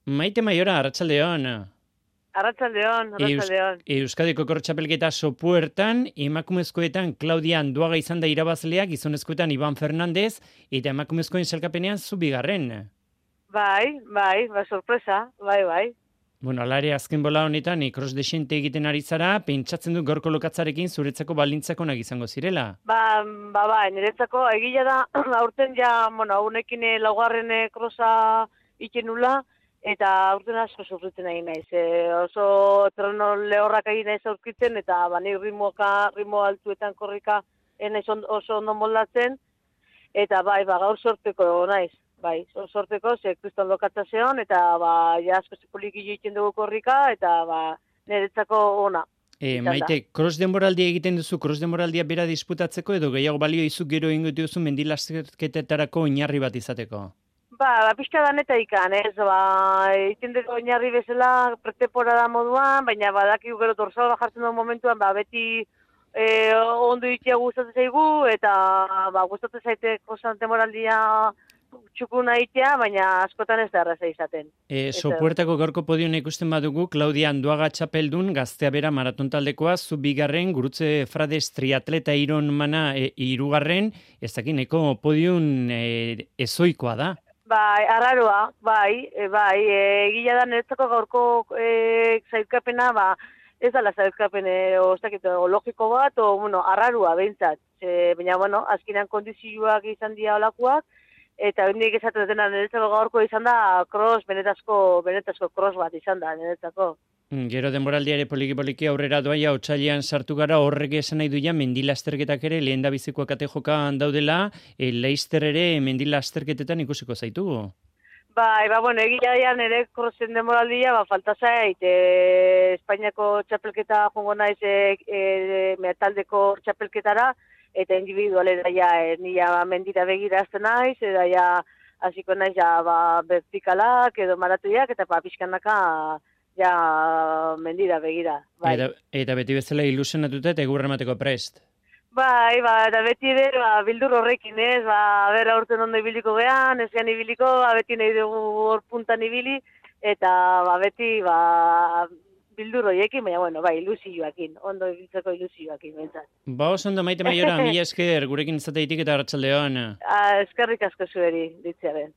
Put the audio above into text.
Maite Maiora, arratsaldeon. Arratsaldeon. Euskadiko Kortxapelketa sopuertan, emakumezkoetan Claudia Anduaga izan da irabazlea, gizonezkoetan Iban Fernandez, eta emakumezkoen selkapenean zu bigarren. Bai, sorpresa, bai. Bueno, alare azken bola honetan, cross desente egiten ari zara, pentsatzen du gorko lokatzarekin zuretzako baldintzak onak izango zirela. Niretzako egia da, aurten ja, honekin laugarren krosa ikenula, eta aurten asko sufritzen egin naiz. Oso terreno lehorrak egin naiz aurkitzen, eta ni ritmo altuetan korrika naiz oso ondo moldatzen, eta gaur sorteko naiz. Bai, sorteko, kriston lokatza zeon, eta ja asko poliki egiten dugu korrika, eta niretzako ona. Maite, cross denboraldia egiten duzu, cross denboraldia bera disputatzeko, edo gehiago balio izu gero ingo duzu mendilasterketetarako oinarri bat izateko? Pixka da neta ikan, ez, egiten dugu oinarri bezala pretemporada moduan, baina badakigu gero dorsal jartzen duen momentuan, beti ondo ikia gustatzen zaigu, eta gustatzen zaite cross denboraldia txukuna itea, baina askotan ez da erraza izaten. Sopuertako gaurko podioa ikusten badugu, Claudia Anduaga txapeldun, gaztea bera maraton taldekoa, zu bigarren, gurutze Frades triatleta Ironmana hirugarren, ez dakin, podium ezoikoa da. Arraroa, egila da niretzako gaurko zailkapena, ez dala zailkapen logiko bat, arraroa behintzat. Baina, azkenean kondizioak izan dira olakoak, eta hendik esaten dena niretzako gaurko izan da benetazko cross bat izan da niretzako. Gero denboraldia ere poliki aurrera doaia, otsailean sartu gara, horrek esan nahi duia mendilasterketak ere lehen da bizikoak ate jokan daudela, Leister ere mendilasterketetan ikusiko zaitugu. Egia nire crossen denboraldia, falta zait, Espainiako txapelketa jongo naiz metaldeko txapelketara, eta individualera nila mendira begirazten naiz, eta hasiko naiz vertikalak edo maratuiak, eta pixkanaka mendira begira. Eta beti bezala ilusionatuta eta egurra emateko prest. Eta beti ere, bildur horrekin, ez, aurten ondo ibiliko gehan, ez gehan ibiliko, beti nahi dugu hor puntan ibili, eta beti, bildur horiekin, baina, ilusioakin, ondo ibiltzeko ilusioakin, bentsat. Oso ondo, Maite Maiora, mila esker, gurekin izateitik eta arratsaldeon. Eskerrik asko zueri, ditzearen.